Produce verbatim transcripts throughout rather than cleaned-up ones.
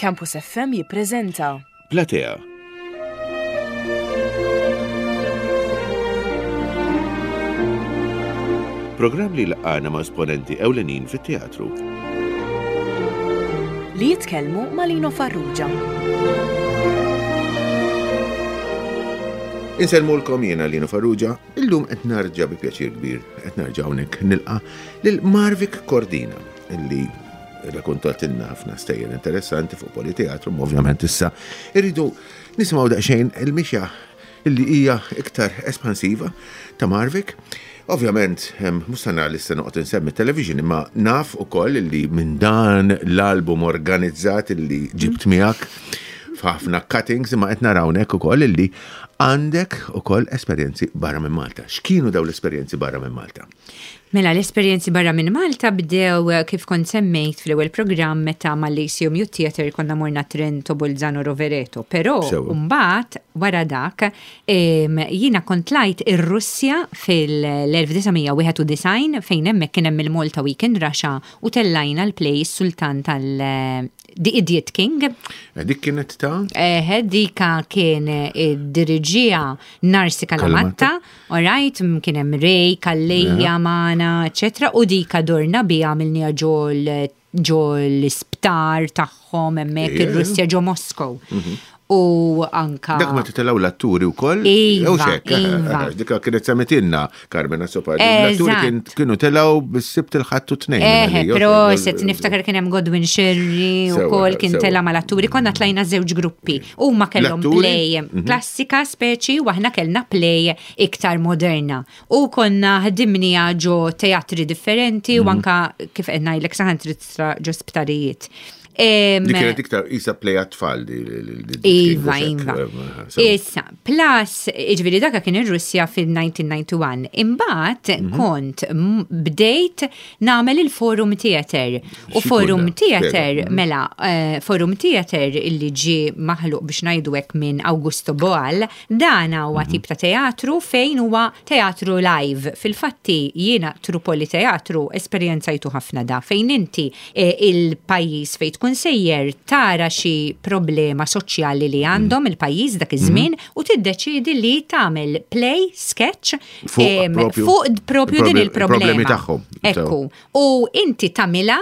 Campus F M jippreżenta Platea. Programm li laqana ma' esponenti ewlenin fit-teatru. Li jitkellmu ma' Lino Farrugia. Insellmulkom, jiena Lino Farrugia, illum qed narġa' bi pjaċir kbir, qed narġa' hawnhekk nilqa' lil Marvic Cordina, illi rrakkontatilna ħafna stejjer interessanti fuq Politeatru, ma ovvjament issa irridu nisimgħu daqsxejn il-mixja illi hija iktar espansiva ta' Marvic. Ovvjament, mhux se li se noqgħod insemmi television, imma naf ukoll illi minn dan l-album organizzat illi ġibt miegħek f'ħafna cuttings, imma qed naraw hawnhekk ukoll illi għandek ukoll esperjenzi barra minn Malta. X'kienu dawn l-esperjenzi barra minn Malta? Mela, l-esperjenzi barra minn Malta bdew eh, kif kont semmejt fl-ewwel programm, meta mal-Lyceum Youth Theatre konna morna Trento, Bolzano, Rovereto. Però Sewa. mbagħad wara dak em, jiena kont tlajt ir-Russja fil-elf disa' mija wieħed u disgħin, fejn hemmhekk kien hemm il-Malta Week in Russia u tellajna l-play Sultan tal The Idiot King. Eh, Dik kienet ta' Eh, dika kien diriġija Narsi Kalamatta, alright, m- kien hemm Ray, Calleja, Mana, eccetera, u dika dorna biha, għamilniha ġol ġo l-isptar tagħhom hemmhekk Ija, ir-Russja, ġo Moskow. U anka. Dak ma titelgħu l-atturi wkoll? Iva, Jew xek, eh, iva. eh, Dika kienet semmitilna Carmen Azzopardi. L-atturi Eżatt. kien- kienu telgħu bis-Sibt, il-Ħadd u Tnejn. Eħe, jew proset, niftakar kien hemm Godwin Scerri u Sewa, kol kien sewa. tela mal-atturi, konna tlajna żewġ gruppi. U ma kellhom L-atturi? play klassika speċi u aħna kellna play iktar moderna. U konna ħdimnija ġo teatri differenti u anka, kif qed ngħidlek, saħansitra ġo sptarijiet. Em, Dik kienet iktar isa play għat-tfal. di- di- di- di- Iva, xek, iva. eh, sewa. Issa, plus, ġifieri daka kien ir-Russja fil-elf disa' mija disgħa u disgħin. Imbagħad Mhm. kont m- bdejt nagħmel il-Forum Theater. U X'ikun Forum da? Theater, Spjega. Mhm. mela, eh, Forum Theater illi ġi maħluq, biex ngħidu hekk, minn Augusto Boal, dan huwa Mhm. tip ta' teatru fejn huwa teatru live. Fil-fatti jiena through Politeatru esperjenzajtu ħafna da, fejn inti eh, il-pajjiż fejn tkun sejjer tara xi problema soċjali li għandhom il-pajjiż dak iż-żmien u tiddeċidi li tagħmel play sketch Fuq em, propju- fuq propju din il-problemi il-problema. tagħhom. Ekku. U inti tagħmilha,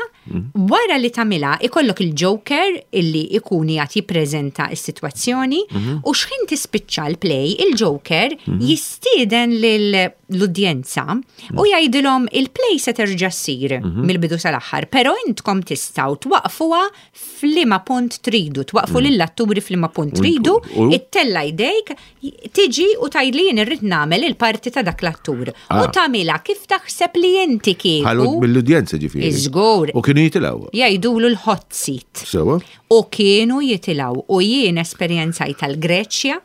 wara li tagħmilha ikollok il-Joker illi ikun qed jippreżenta s-sitwazzjoni u xħin tispiċċa l-play, il-Joker jistieden l-udjenza u jgħidilhom: il-play se terġa' ssir mill-bidu sal-aħħar, però intkom tistgħu twaqfuha f'liema punt tridu, twaqfu lill-atturi f'liema punt tridu, u- ittella' jdejk, tiġi u tgħidli: jien irrid nagħmel il-parti ta' dak l-attur. U Ah. tagħmilha kif taħseb li inti Ħallu kieku. mill-udjenza, ġifieri. Iżgur. U kienu jitilgħu. Jgħidulu l-hot seat. Sewa. U kienu jitilgħu u jien esperjenzajt tal-Greċja,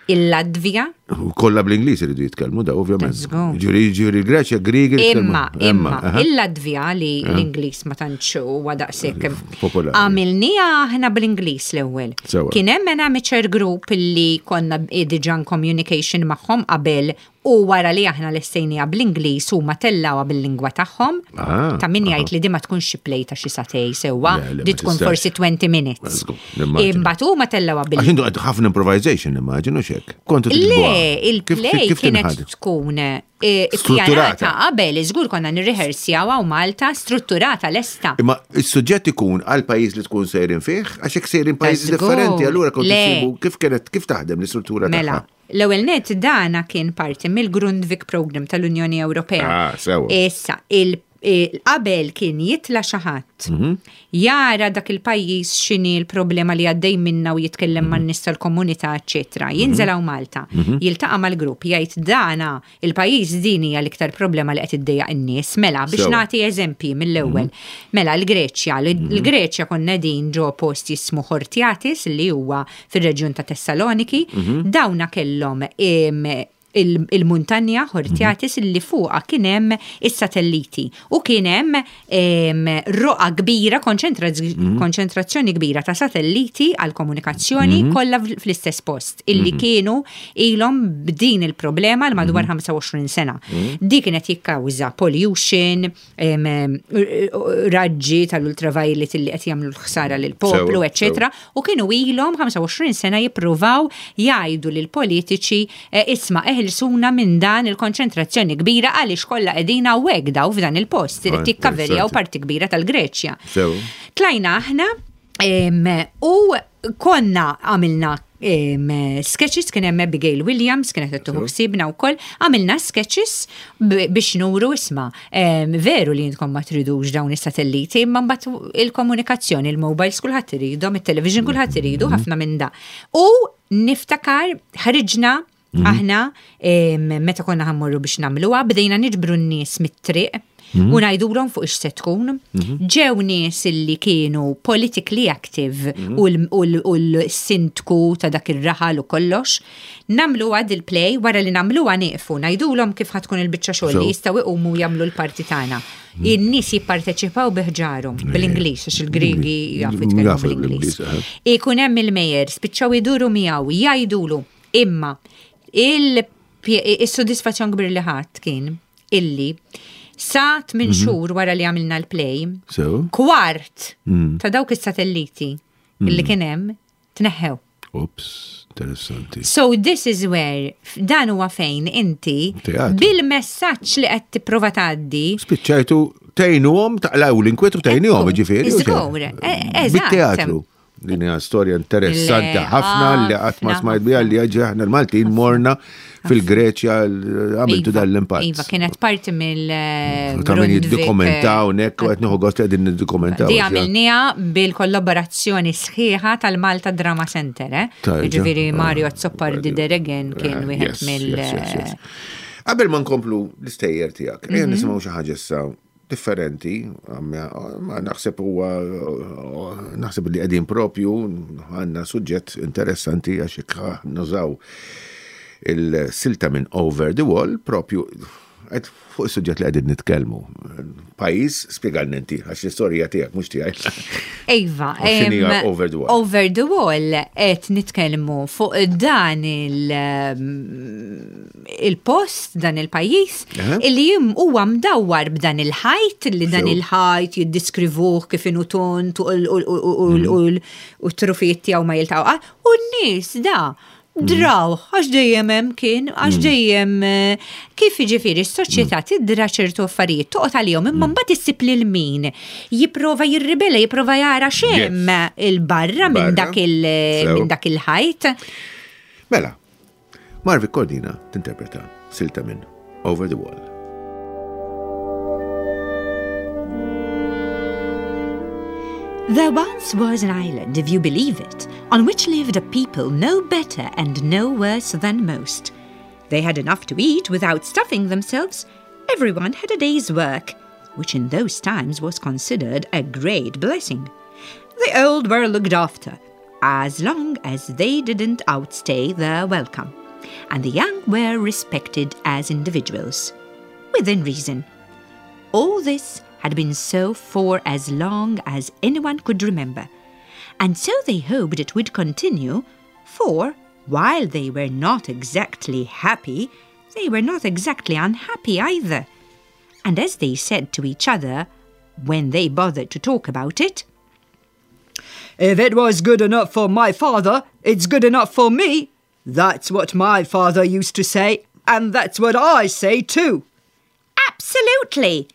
il-Latvija, U kollha bl-Ingliż iridu jitkellmu da, ovvjament. Żgur. Ġifieri ġifieri il-Greċja, Griegi jitkellmu. Imma, imma, aha. il-Latvija, li l-Ingliż ma tantx huwa daqshekk Popolari. għamilniha aħna bl-Ingliż l-ewwel. Sewa. Kien hemm an amateur group li konna diġà in communication magħhom qabel, u wara li aħna lestejniha bl-Ingliż huma tellawha bil-lingwa tagħhom. Ah, Ta' min jgħid li di ma tkunx xi play ta' xi sagħtejn, sewwa, Le, le, di ma tkun tistax. forsi twenty minutes. Żgur, nimmaġina. Imbagħad huma tellawha bil Għax intu għad ħafna improvisation, immaġinu xek. Kontu Le, tiktbuha. Kif- il-play kif kienet tinħadem? tkun eh, Strutturata. ppjanata qabel, żgur konna nirriħersjaw hawn Malta, strutturata, lesta. Imma il-suġġett ikun għal pajjiż li tkun sejrin fih, għax hekk sejrin pajjiżi Żgur. differenti, allura kont Le. issibu kif kienet, kif taħdem l-istruttura Mela, tagħha. l-ewwel net dana kien parti mill-Grundtvig Program tal-Unjoni Ewropea. Ah, sewa. Issa, il il- qabel kien jitla xi ħadd, Mhm. jara dak il-pajjiż, x'inhi l-problema li għaddej minna, u jitkellem Mhm. man-nies tal-komunità, eċetera. Jinżel hawn Malta, jiltaqa' mal-grupp, jgħid: dana il-pajjiż, din hija l-iktar problema li qed iddejjaq in-nies. Mela, biex Sewa. nagħti eżempji mill-ewwel. Mela l-Greċja, l-Greċja konna din ġo post jismu Hortiatis, li huwa fir-reġjun ta' Tessaloniki, dawna kellhom em, Il-muntanja Hortiatis illi fuqa kien hemm is-satelliti u kien hemm roqa kbira, konċentrazzjoni kbira ta' satelliti għal komunikazzjoni kollha fl-istess post illi kienu ilhom b'din il-problema l madwar ħamsa u għoxrin sena. Di kienet jikkawża pollution, raġġi tal-ultraviolet illi qed jagħmlu l-ħsara lill-poplu, eċetera. U kienu ilhom ħamsa u għoxrin sena jippruvaw jgħidu lill-politiċi, eh, isma', eħilsuna minn dan il-konċentrazzjoni kbira, għaliex kollha qegħdin hawnhekk daw f'dan il-post, irid jikkaverjaw parti kbira tal-Greċja. Tlajna aħna u konna għamilna sketches, kien hemm Abigail Williams kienet qed tieħu ħsiebna wkoll, għamilna sketches biex nuru, isma', veru li intkom ma tridux dawn is-satelliti, imma mbagħad il-komunikazzjoni, il-mobiles kulħadd iridhom, it-television kulħadd iridu, ħafna minn da. U niftakar ħriġna mhm. aħna meta konna ħa mmorru biex nagħmluha, bdejna niġbru n-nies mit-triq mhm. u ngħidulhom fuq ix se tkun. Mhm. Ġew nies illi kienu politically active u l-sindku ta' dak ir-raħal u kollox. Nagħmlu għad il-play, wara li nagħmluha nieqfu, ngħidulhom kif ħa tkun il-biċċa xogħol, li jistgħu iqumu jagħmlu l-parti tagħna. In-nies jipparteċipaw biħġarhom bl-Ingliż, għax il-Griegi jafu jitkellmu bl-Ingliż. Ikun hemm il-mayor, spiċċaw iduru miegħu, jgħidulu, imma il-soddisfazzjon kbir li ħadd kien illi sa tmien mhm. xhur wara li għamilna l-play, kwart mm. ta' dawk is-satelliti illi mm. kien hemm tneħħew. Ups, interessanti. So this is where, dan huwa fejn inti bil-messaġġ li qed tipprova tgħaddi. Spiċċajtu tgħinuhom taqlaw l-inkwetu, tgħinuhom, ġifieri. Żgur, e- eżatt. Bit-teatru. Din hija storja interessanti ħafna li qatt ma smajt biha, li ġi aħna l-Maltin morna fil-Greċja, għamiltu Iva, dal-impatt. Iva, kienet parti mill Ta' min jiddokumentaw nek, u qed nieħu gost li qegħdin niddokumentaw. Di għamilnieha bil-kollaborazzjoni sħiħa tal-Malta Drama Center, eh? Tajja. Ġifieri Mario Azzopardi Deregen kien Ah, wieħed yes, mill- yes, yes, yes. Qabel ma nkomplu l-istejjer tiegħek, ejja nisimgħu xi ħaġa issa differenti, għamma- ma naħseb huwa naħseb li qegħdin propju għandna suġġett interessanti, għax hekk nużaw il-silta minn Over the Wall propju qed fuq is-suġġett li qegħdin nitkellmu. Pajjiż, spjegalna inti, għax l-istorja tiegħek mhux tiegħi. Iva, U x'inhi em, Over the Wall? Over the Wall qed nitkellmu fuq dan il- il-post, dan il-pajjiż, Aha. illi jim huwa mdawwar b'dan il-ħajt, li dan Sew. il-ħajt jiddiskrivuh kif inhu tont u l- u l- u l- u l- u t-trufijiet tiegħu ma jiltaqgħu. U n-nies da draw, għax dejjem hemm kien, għax dejjem eh, kif jiġifieri s-soċjetà tidra ċertu affarijiet, toqgħod għalihom, imma mbagħad issib lil min jipprova jirribella, jipprova jara x'hemm il-barra minn Barra. dak il Sew. minn dak il-ħajt. Mela, Marvic Cordina tinterpreta silta minn Over the Wall. There once was an island, if you believe it, on which lived a people no better and no worse than most. They had enough to eat without stuffing themselves. Everyone had a day's work, which in those times was considered a great blessing. The old were looked after, as long as they didn't outstay their welcome, and the young were respected as individuals, within reason. All this had been so for as long as anyone could remember, and so they hoped it would continue, for while they were not exactly happy, they were not exactly unhappy either. And as they said to each other, when they bothered to talk about it, "If it was good enough for my father, it's good enough for me. That's what my father used to say, and that's what I say too." "Absolutely!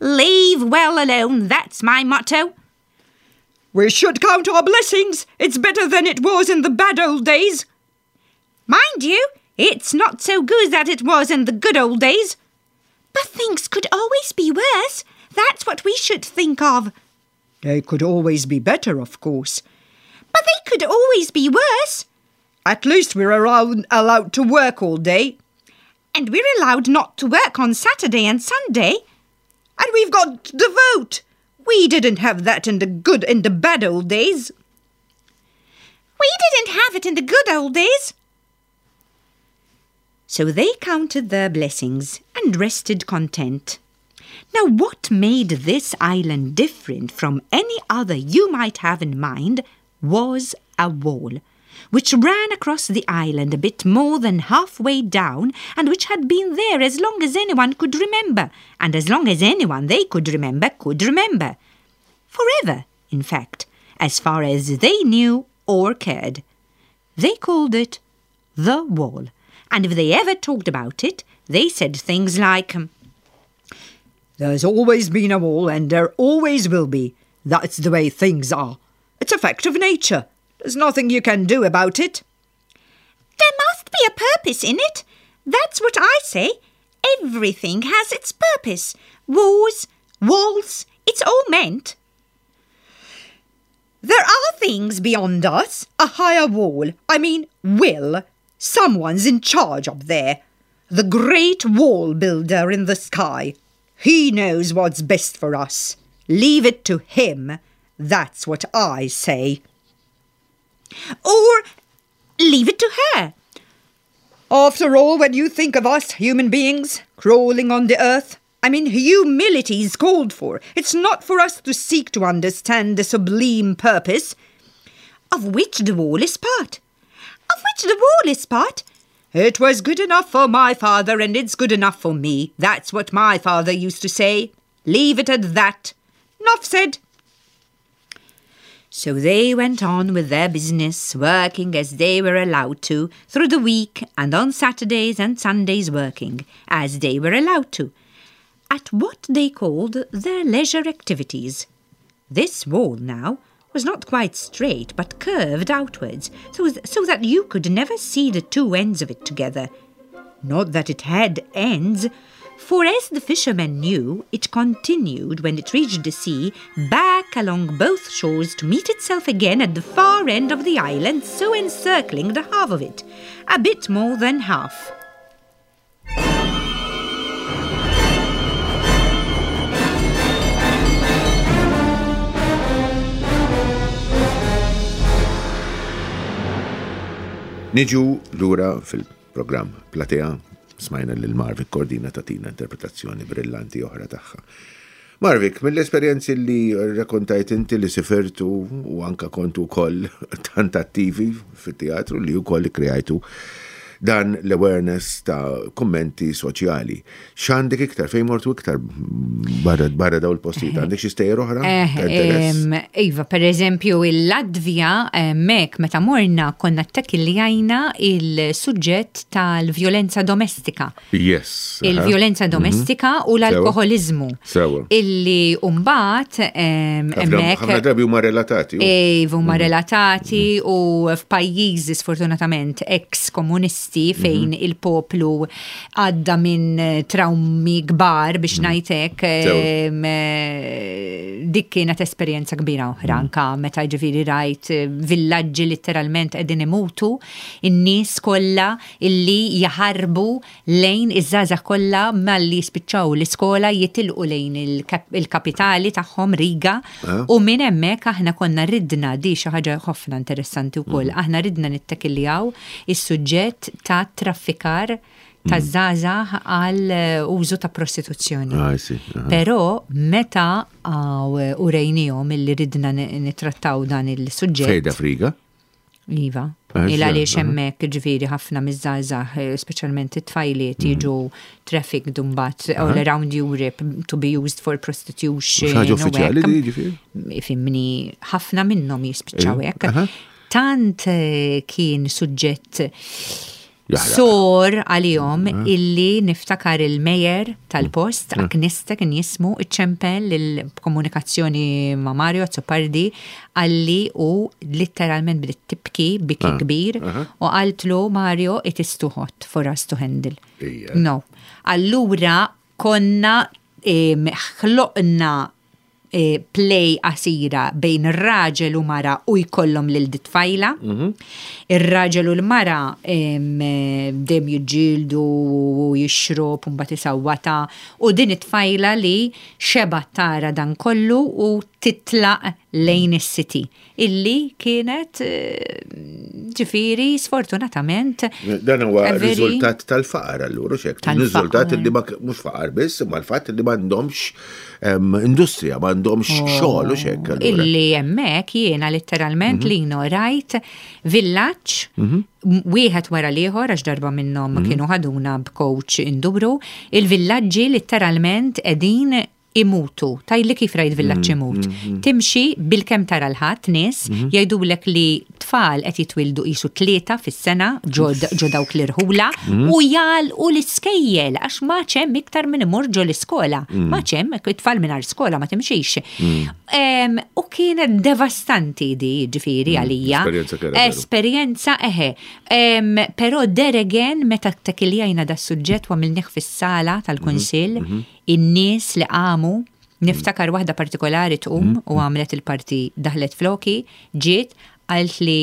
Leave well alone, that's my motto." "We should count our blessings. It's better than it was in the bad old days." "Mind you, it's not so good that it was in the good old days." "But things could always be worse. That's what we should think of." "They could always be better, of course." "But they could always be worse." "At least we're allowed, allowed to work all day." "And we're allowed not to work on Saturday and Sunday." "And we've got the vote. We didn't have that in the good in the bad old days." "We didn't have it in the good old days." So they counted their blessings and rested content. Now, what made this island different from any other you might have in mind was a wall, which ran across the island a bit more than halfway down and which had been there as long as anyone could remember, and as long as anyone they could remember could remember. Forever, in fact, as far as they knew or cared. They called it the wall, and if they ever talked about it, they said things like, There's always been a wall and there always will be. That's the way things are. It's a fact of nature. There's nothing you can do about it. There must be a purpose in it. That's what I say. Everything has its purpose. Wars, walls, it's all meant. There are things beyond us, a higher wall. I mean, will. Someone's in charge up there. The great wall builder in the sky. He knows what's best for us. Leave it to him. That's what I say. Or leave it to her. After all, when you think of us human beings crawling on the earth, I mean, humility is called for. It's not for us to seek to understand the sublime purpose of which the wall is part. Of which the wall is part. It was good enough for my father and it's good enough for me. That's what my father used to say. Leave it at that. Nuff said. So they went on with their business, working as they were allowed to, through the week and on Saturdays and Sundays working, as they were allowed to, at what they called their leisure activities. This wall now was not quite straight, but curved outwards, so, so that you could never see the two ends of it together. Not that it had ends, for as the fishermen knew, it continued when it reached the sea, back along both shores to meet itself again at the far end of the island, so encircling the half of it, a bit more than half. Niġu lura fil-programm Platea, smajna lil Marvic Cordina tatina interpretazzjoni brillanti oħra tagħha. Marvic, mill-esperjenzi li rrakkontajt inti li sifirtu u anka kontu wkoll tant attivi fit-teatru li wkoll kreajtu dan l-awareness ta' kummenti soċjali. X'għandek iktar, fejn mortu iktar barra barra daw il-postijiet? Għandek xi stejjer oħra? Eh, ta' interess? em, Iva, per eżempju, il-Latvija, mek, meta morna konna ttakkiljajna il-suġġett tal-vjolenza domestika. Yes. aha. Il-vjolenza domestika u l-alkoholizmu. Sewa. Illi mbagħad Ħafna hemmhekk ħafna drabi huma relatati. u- Iva, huma relatati u f'pajjiżi sfortunatament ex-komunisti fejn il-poplu għadda minn eh, traumi kbar biex ngħidlek Sewa. em, eh, dik kienet esperjenza kbira oħra anka meta ġifieri rajt eh, villaġġi letteralment qegħdin imutu in-nies kollha illi jaħarbu lejn iż-żgħażagħ kollha malli jispiċċaw l-iskola jitilqu lejn il-kap- il-kapitali tagħhom Riga Ah. u minn hemmhekk aħna konna ridna di xi ħaġa ħafna interessanti wkoll. Aħna ridna nittakiljaw is-suġġett ta' traffikar ta' żgħażagħ għal eh, użu ta' prostituzzjoni. Ah, I see. Aha. Però meta għaw urejnihom illi ridna ni- nittrattaw dan il-suġġett. Fejda f'Riga? Iva. Ah, Il għaliex aha. hemmhekk ġifieri ħafna miż-żgħażagħ, eh, speċjalment it-tfajliet Mhm. jiġu trafficked mbagħad all around Europe to be used for prostitution. Xi ħaġa u uffiċjali hekk. di ġifieri? Ifhimni, ħafna minnhom jispiċċaw Ejja, hekk. aha. Tant eh, kien suġġett Jaħraq. sor għalihom illi niftakar il-mayor tal-post, Aknista kien jismu, iċċempel il-komunikazzjoni ma' Mario Azzopardi għalli u letteralment bdiet tibki biki kbir u qaltlu Mario it is too hot for us to handle. Ija. No. Allura konna em, ħloqna eh, play qasira bejn raġel u mara u jkollhom lil dit-tfajla. Ir-raġel u l-mara em, eh, dejjem jiġġieldu u jixrob u mbagħad isawwata u din it-tfajla li xeba tara dan kollu u titlaq lejn is-city illi kienet eh, Ġifieri, sfortunatament. Dan huwa riżultat tal-faqar allura, xek. Riżultat li mhux faqar biss, imma l-fatt li m'għandhomx industrija, m'għandhomx oh, xogħol u xek. Illi hemmhekk jiena letteralment mhm. li rajt villaġġ mhm. wieħed wara l-ieħor, għax darba minnhom mhm. kienu ħaduna b'coach induru, il-villaġġi letteralment qegħdin imutu. Tgħidli kif rajt villaġġ mm, imut? Mm, mm. Timxi bil-kem tara l-ħadd nies mm-hmm. jgħidulek li tfal qed jitwildu qisu tlieta fis-sena ġo dawk l-irħula mm-hmm. u jagħlqu l-iskejjel għax ma hemm iktar minn imur ġo l-iskola. Ma hemm it-tfal mingħajr skola ma timxix. U kienet devastanti di ġifieri għalija. Esperjenza eħe. Però there again, meta ttakkiljajna da suġġett u għamilnieh fis-sala tal-Kunsill, mm-hmm. in-nies li qamu, niftakar waħda partikolari tqum mm. u għamlet il-parti, daħlet floki, ġiet, għalt li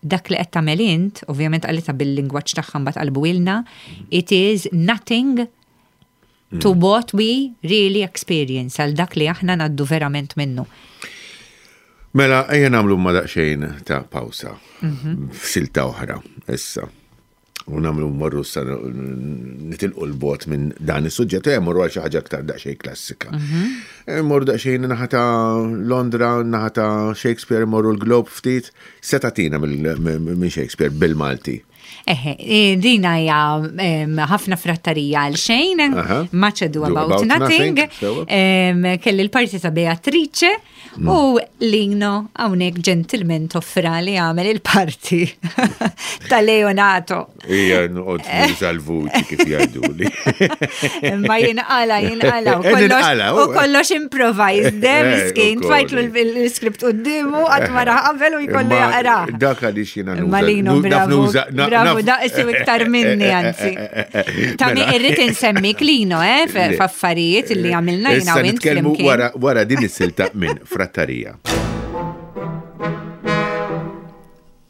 dak li qed tagħmel int, ovvjament qalitha bil-lingwaġġ tagħha, mbagħad qalbuilna, it is nothing to mm. what we really experience, għal dak li aħna ngħaddu verament minnu. Mela, ejja nagħmlu ma daqsxejn ta' pawsa. Mhm. F'silta oħra, issa. U nagħmlu morru sa nitilqu l-bot minn dan is-suġġett, e morru għal xi ħaġa aktar daqsxejn klassika. Mhm. E morru daqsxejn naħa ta' Londra, naħa ta' Shakespeare, morru l-Globe ftit, setatina minn Shakespeare bil-Malti. Eħe, e, dina hija ħafna frattarija għal xejn, Much Ado About Nothing, kelli l-parti ta' Beatrice mm. u Lino hawnhekk gentleman toffra li għamel il-parti ta' Leonato. Ija, noqgħod nuża l-vuċi kif jgħiduli. Ma jinqala, jinqala. U kollox improvised, de, eh, miskin, tfajtlu l-script quddiemu, qatt ma qabel u jkollu jaqra. Dak għaliex jiena nuża. Malino, bravo. Bravo, daqsi iktar minni, anzi. Ta' mi irrid insemmi Klino, eh, f'affarijiet li għamilna jiena u int. Wara din is-silta minn Frattarija.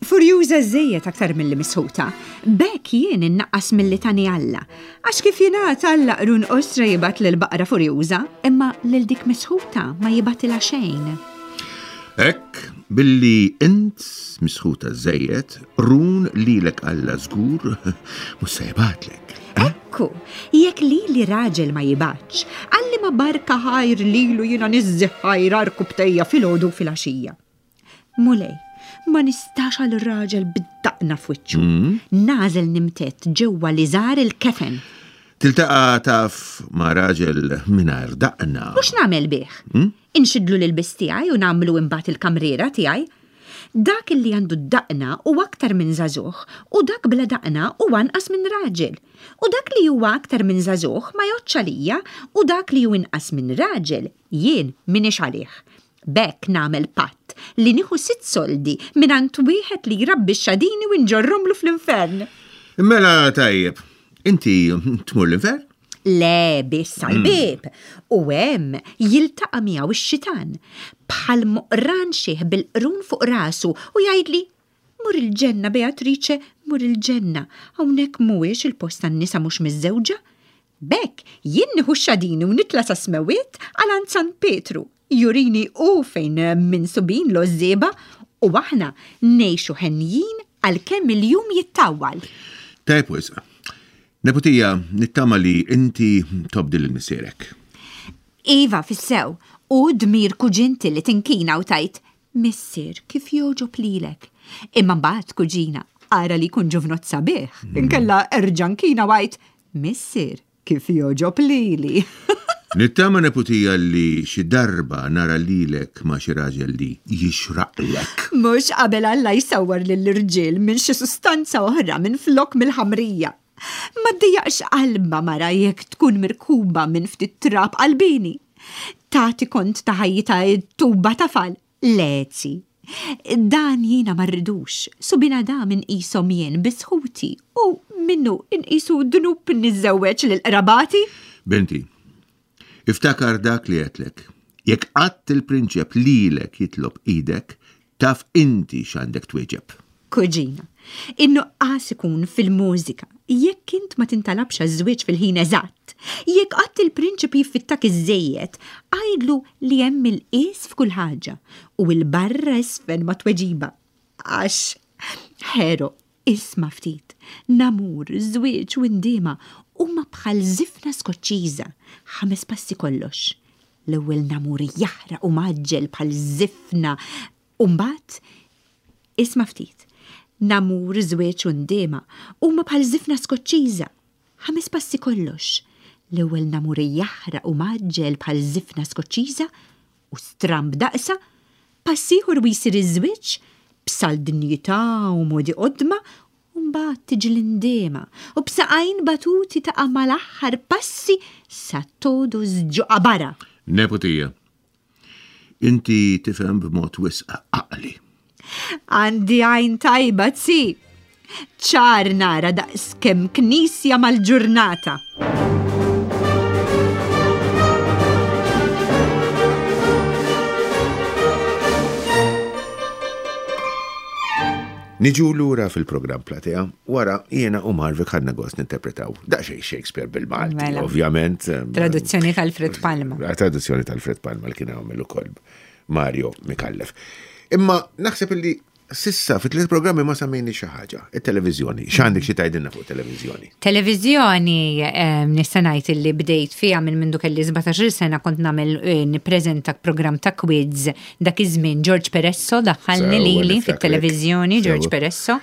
Furjuża żejjed aktar milli misħuta. B'hekk jien innaqqas milli tani Alla. Għax kif jingħad Alla qrun qosra jibgħat lill-baqra furjuża, imma lil dik misħuta ma jibgħatilha xejn. Hekk, billi int misħuta żejjed, qrun lilek Alla żgur mhux se jibgħatlek. Ekku, jekk lili raġel ma jibgħatx, għal liema barka ħajr lilu jiena niżżi ħajr għarkupptejja filgħodu u filgħaxija. Mulej, ma nistax għal raġel bid-daqna f'wiċċu. Mm. Nagħżel nimtedd ġewwa liżar il-kefen. Tiltaqa' taf ma' raġel mingħajr daqna. U x'nagħmel bih? Mm? Inxidlu l-ilbies tiegħi u nagħmlu imbagħad il-kamriera tiegħi? Dak illi għandu d-daqna hu aktar minn żagħżugħ u dak bla daqna hu anqas minn raġel. U dak li huwa aktar minn żagħżugħ ma jgħoddx għalija u dak li hu inqas minn raġel jien m'iniex għalih. B'hekk nagħmel patt li nieħu sitt soldi mingħand wieħed li jrabbi x-xadini u nġorrhomlu fl-infern. Mela tajjeb, inti tmur l-infern? Le, biss għall-bieb. U hemm jiltaqa' miegħu x-xitan, bħal moqran xiħ bil-qrun fuq rasu u jgħidli, Mur il-ġenna, Beatrice, mur il-ġenna, hawnhekk mhuwiex il-post għan-nisa mhux miżżewġa. B'hekk jien nieħu x-xadini u nitla' sas-smewwiet għal għand San Pietru, jurini hu fejn minsubin l-għożżieba u aħna ngħixu henjin għalkemm il-jum jittawwal. Tajjeb wisq. Neputija, nittama li inti tobdi lil missierek. Iva, fis-sew, hu dmir kuġinti li tinkina u tgħid, Missier, kif jogħġob lilek. Imma mbagħad, kuġina, ara li jkun ġuvnott sabiħ, inkella erġa' nkina u għid, Missier, kif jogħġob lili. Nittama neputija li xi darba nara lilek ma' xi raġel li jixraqlek. Mhux qabel Alla jsawwar lill-irġiel minn xi sustanza oħra minflok mill-ħamrija. Ma ddejjaqx qalbha mara jekk tkun mirkuba minn ftit trab qalbieni. Tagħti kont ta' ħajjitha t-tuba tafal. Lezi. Dan jiena ma rridux. Subien Adam inqishom jien biss ħuti u minnu inqisu dnub niżżewweġ lil qrabati. Binti, iftakar dak li għedtlek. Jekk qatt il-prinċep lilek jitlob idek, taf inti x'għandek twieġeb. Kuġina, in-nuqqas ikun fil-mużika jekk int ma tintalabx għaż-żwieġ fil-ħin eżatt. Jekk qatt il-prinċep jiffittak iżżejjed, għidlu li hemm il-qies f'kull ħaġa u 'l barra isfen ma' tweġiba. Għax Ħero, isma' ftit, namur, żwieġ u ndiema huma bħal żifna Skoċċiża, ħames passi kollox. L-ewwel namur jaħraq u mgħaġġel bħal żifna u mbagħad isma' ftit. Namur, żwieġ u ndiema huma bħal żifna Skoċċiża, ħames passi kollox. L-ewwel namur jaħraq u mgħaġġel bħal żifna Skoċċiża u stramb daqsa, pass ieħor u jsir iż-żwieġ b'salt dinjità u modi qodma, u mbagħad tiġi l-indiema u b'saqajn batuti taqa' mal-aħħar passi sa todos ġo qabara. Neputija, inti tifhem b'mod wisq għaqli. Għandi għajn tajba tsi. Ċar nara daqs kemm knisja mal-ġurnata. Niġu lura fil-programm Platea, wara jiena u Marvik ħadna gost ninterpretaw daqsxejn Shakespeare bil-Malti, Mela. ovvjament. Traduzzjoni tal-Alfred Palma. Traduzzjoni tal-Alfred Palma li kien għamel ukoll Mario Mikallef. Imma naħseb illi sissa fit tliet programmi ma semmejni xi ħaġa, it-televiżjoni. X'għandek xi tgħidilna fuq televiżjoni? Televiżjoni em, nista' ngħid illi bdejt fiha minn mindu kelli sbatax-il sena kont nagħmel eh, nippreżenta programm ta' quiz dak iż-żmien George Peresso daħħalni Sewwa, lili niftakrek. fit-televiżjoni George Sewwa. Peresso.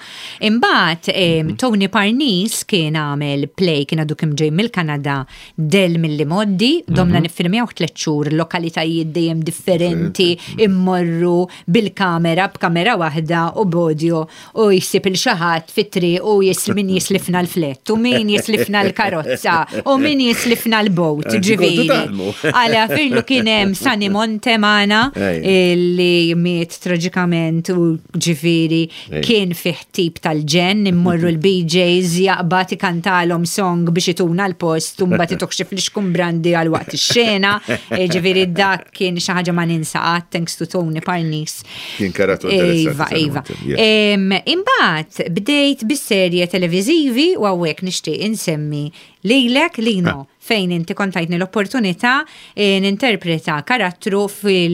Imbagħad em, Tony Parnis kien għamel play kien għadu kemm ġej mill-Kanada Del milli moddi, domna niffilmjaw tliet xhur lokalitajiet dejjem differenti, immorru bil-kamera, b'kamera waħda u b'audio u jsib il xi ħadd fit-triq u jis min jislifna l-flett u min jislifna l-karozza u min jislifna l-boat, Anzi, kontu ġifieri. taħdmu. Għala firlu kien hemm Sani Monte magħna Ejja. li miet traġikament u ġifieri Ejja. kien fih tip tal-ġen, immorru l-B Js jaqbad ikantalhom song biex ituna l-post u mbagħad ituh xi flixkun brandi għal waqt ix-xena. E, ġifieri dak kien xi ħaġa ma ninsa qatt, thanks to Tony Parnis. Kien karattru interessanti, Iva, Sani iva. Monte, yes. Em, Imbagħad bdejt bis-serje televiżivi u hawnhekk nixtieq insemmi lilek Lino, Ah. fejn inti kontajtni l-opportunità, eh, ninterpreta karattru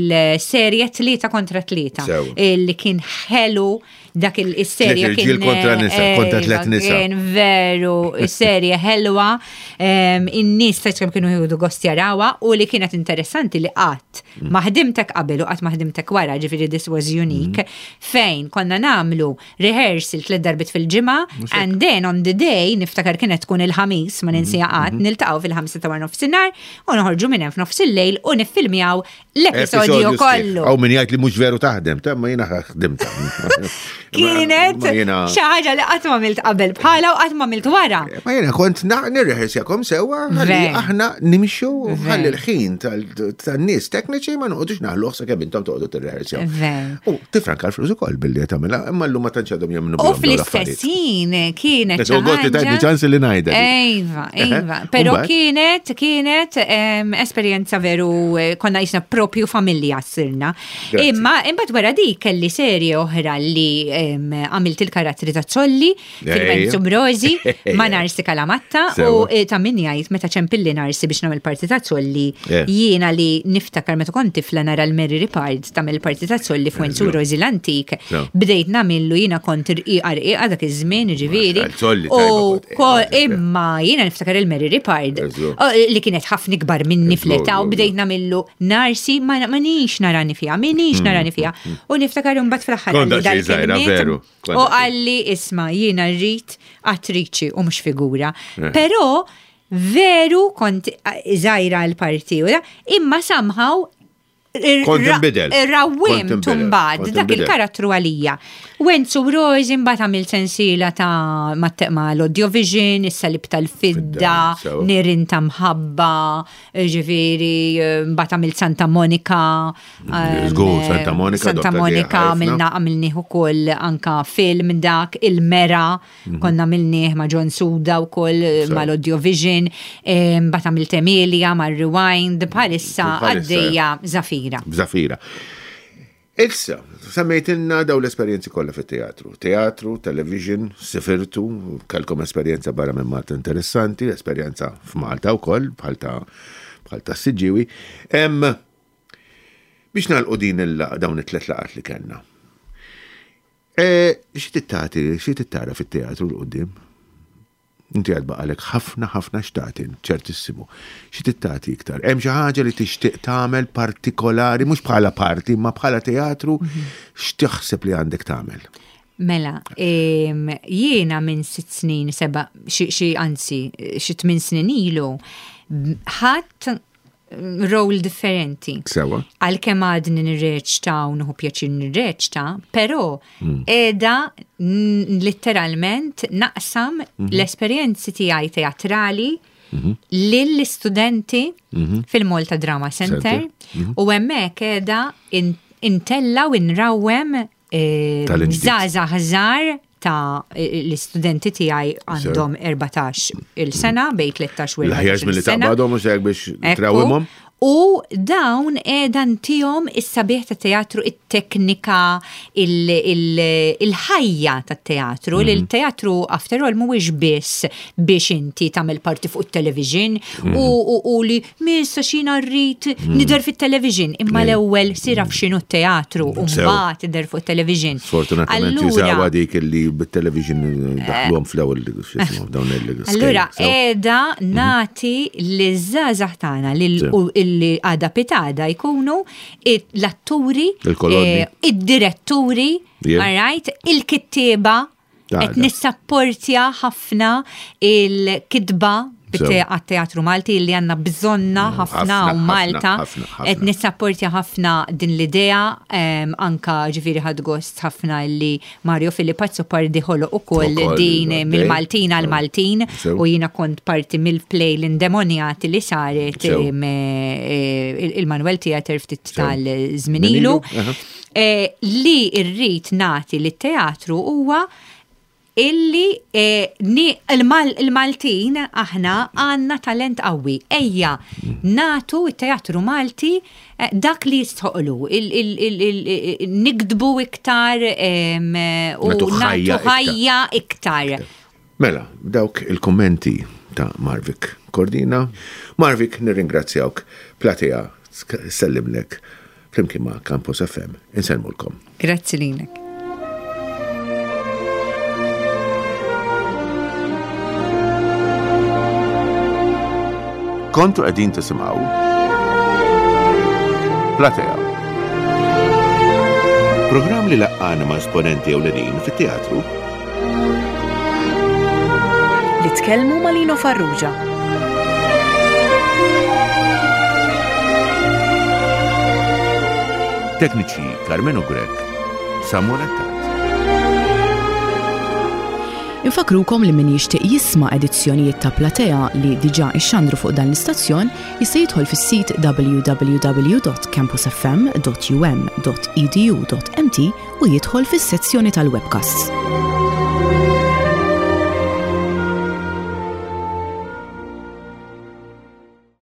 fil-serje tlieta kontra tlieta. Sew. Li kien ħelu dak il- is-serje Tliet kien, irġiel kontra nisa, eh, kontra tliet iva, nisa. Kien veru, serje ħelwa, em, in-nies ta' kemm kienu jieħdu gost jarawha u li kienet interessanti li qatt Mm. ma ħdimtek qabel u qatt ma ħdimtek wara, ġifieri this was unique, Mm. fejn konna nagħmlu rehearsal tliet darbit fil-ġimgħa and then on the day niftakar kienet tkun il-ħamis ma ninsija qatt, Mm-hmm. niltaqgħu fil-ħamsa ta' wara nofsinhar u noħorġu minn hemm f'nofs il-lejl u niffilmjaw l-episodju Episodju sħiħ. kollu. Aw min jgħid li mhux veru taħdem, ta' ma jiena ħdimt. Kienet Ma jiena- xi ħaġa li qatt ma għamilt qabel bħala u qatt ma għamilt wara. Ma jiena kont na- nirrehersjakom sewwa ħalli Ver. aħna nimxu Ver. ħalli l-ħin tal- tan-nies tekniċi ma noqogħdux naħluh sakemm intom toqgħodu tirrehersjaw. Ver. U tifranka l-flus ukoll billi qed tagħmilha, imma llum ma tantx għadhom jemmnu U bihom dawn fl-istess l-affarijiet. ħin kienet Qed ukoll xi tajtni ħaġa- ċans li ngħidha di. Iva, iva. Eħe. Però U mbagħad? kienet, kienet, em, esperjenza veru, eh, konna jisna propju familja sirna. Grazzi. Imma imbagħad wara dik kelli serje oħra li em, għamilt il-karattri ta' Zolli, fil-Wenzu Brozi, ma' Narsi Kalamatta u Sewa. eh, ta' min jgħid meta ċempilli Narsi biex nagħmel parti ta' Zolli, Yeah. jiena li niftakar meta kont tifla nara l-Mary Ripard tagħmel parti ta' Zolli f'Wenzu Eżatt. Rosi l-antik, Sewa. bdejt nagħmillu jiena kont irqiqa rqiqa dak iż-żmien ġifieri. Zolli U tajba kont, ko- eh, imma jiena niftakar il-Mary Ripard Eżatt. o, li kienet ħafna ikbar minni Eżatt, fl-età u eżatt. bdejt nagħmillu Narsi ma ma nix narani fiha, minix narani fiha. U niftakar imbagħad fl-aħħar Kont qalli daqsxejn żgħira, dal-kelmiet veru. Kont U daqsxejn. qalli isma' jiena rrid attriċi u mhux figura. Eh. Però veru kont żgħira l-parti u da, imma somehow Kont inbidel. Kont Rawwimt inbidel. mbagħad Kont dak inbidel. il-karattru għalija. Wenzu Rosi mbagħad għamilt sensiela ta' ma' l-Audiovision, is-salib tal-fidda, Fidda, sewa. Nirin ta' mħabba, ġifieri, mbagħad għamilt Santa Monica. ehm, Żgur, Santa Monica, Santa Dottor Monica Ghia ħafna. għamilna għamilnieh ukoll anka film dak il-Mera, konna għamilnieh ma' John Suda wkoll Mhm. Sewa. mal-Audiovision, ehm, mbagħad għamilt Emilia ma' Rewind, bħalissa Bħalissa, għaddejja Zafira. Zafira. Issa, semmejtilna daw l-esperjenzi kollha fit-teatru. Teatru, television, sifirtu, kellkom esperjenza barra minn Malta interessanti, esperjenza f'Malta wkoll bħal ta' bħal ta' Siġġiewi. Em, biex nagħlqu din il dawn it-tlet laqat li kellna. Eh, xi tittati, xi tittara fit-teatru 'l quddiem? Inti għad baqalek ħafna ħafna x'tagħti, ċertissimu. Xi tittati iktar? Hemm xi ħaġa li tixtieq tagħmel partikolari, mhux bħala parti, ma bħala teatru, x'taħseb li għandek tagħmel? Mela, em, jiena minn sitt snin, seba, xi xi anzi, xi tmien snin ilu, ħadt role differenti. Sewa. Għalkemm għadni nirreċta u nieħu pjaċir nirreċta, però qiegħda n- letteralment naqsam l-esperjenzi tiegħi teatrali lill-istudenti fil-Malta Drama Center u hemmhekk qiegħda in- intella u nrawwem eh, Talent ġdid. żgħażagħ żgħar ta' l-istudenti tiegħi għandhom erbatax il-sena, bejn tlettax u L-aħjar erbatax milli il-sena. taqbadhom mhux hekk biex Ekku. trawwimhom. U dawn qiegħda ntihom is-sabiħ ta' teatru, it-teknika, il-ħajja ta' teatru. Li l-teatru, after all, mhuwiex biss biex inti tagħmel parti fuq it-television u, u, u li missa xina rrid nidher fit-television. Imma l-ewwel sir af x'inhu t-teatru u Sew. mbagħad tidher fuq it-television. Sfortunatament Allura- jużawha dik li bit-television daħluhom fl-ewwel x'ismu dawn il Allura, qiegħda nagħti liż-żgħażagħ tagħna lil- Sew. u illi għada pitgħada jkunu it- l-atturi, Il-kolonni. eh, id-diretturi, Yeah. all right, il-kittieba, Għada. qed nissapportja ħafna il-kitba Sew. għat-teatru Malti li għandna bżonnha ħafna ħafna, u Malta. ħafna, ħafna. Qed nissapportja ħafna din l-idea, em, anka ġifieri ħadt gost ħafna li Mario Philip Azzopardi ħoloq ukoll Ukoll, din għaddej. mill-Maltin għal Sew. Maltin Sew. u jiena kont parti mill-play l-indemonjati li saret Sew. em, eh, il-Manuel Theatre ftit Sew. tal-żmien ilu. Aha. Eh, Li rrid nagħti lit-teatru huwa illi eh, ni- il-Mal- il-Maltin aħna għandna talent qawwi. Ejja, nagħtu it-teatru Malti eh, dak li jistħoqlu. Il- il- il- il- Niktbu iktar em, eh, u Nagħtu ħajja nagħtu iktar. ħajja iktar. Mela, dawk il-kommenti ta' Marvic Cordina. Marvic, nirringrazzjawk. Platea, sellimlek. Flimkien ma' Campus F M. Insellmulkom. Grazzi lilek. Kontu qegħdin tisimgħu Platea. Programm li laqqana ma' esponenti ewlenin fit-teatru. Li tkellmu ma' Lino Farrugia. Tekniċi Carmeno Grech, Samuel Attard. Infakrukom li min jixtieq jisma' edizzjonijiet ta' Platea li diġà ixxandru fuq dan l-istazzjon jista' jidħol fis-sit w w w dot campusfm dot um dot edu dot m t u jidħol fis-sezzjoni tal-webcasts.